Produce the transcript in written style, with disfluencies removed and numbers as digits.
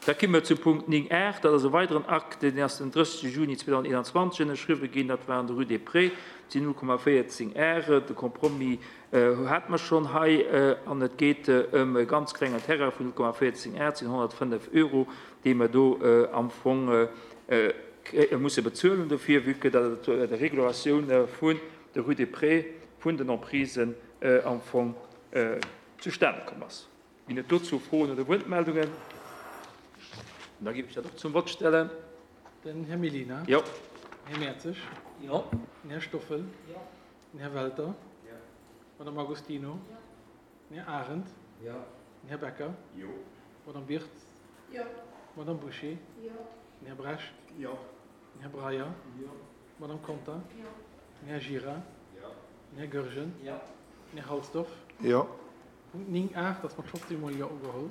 Da komme mer zu Punkt 9 art. Dat ass e weideren Akt, deen ass den 30 Juni 2021 ënnerschriwwen ginn. Dat war an der Rue des Prés. Et sinn 0,14 Are. De Compromis hate mer schonn hei. An et geet ëm e ganz klengen Terrain vun 0,14 Are, dat sinn 105 Euro, déi mer do am Fong musse bezuelen dofir, vue que datt et der Regulatioun vun der Rue des Prés, vun den Emprisen am Fong zustane komm ass. Ginn et dozou Froen oder Wuertmeldungen? Da géif ech dat och zum Vott stellen. Den Här Mellina. Jo. Den Här Mertzig. Jo. Den Här Stoffel. Jo. Den Här Welter. Jo. D'Madame Agostino. Jo. Den Här Arendt. Jo. Den Här Becker. Jo. D'Madame Wirtz. Jo. D'Madame Bouché. Jo. Den Här Brecht. Jo. Den Här Breyer. Jo. D'Madame Conter. Jo. Den Här Gira. Jo. Den Här Goergen. Jo. Den Här Halsdorf. Jo. Punkt 9 8 ass mat 15 mol Jo ugeholl.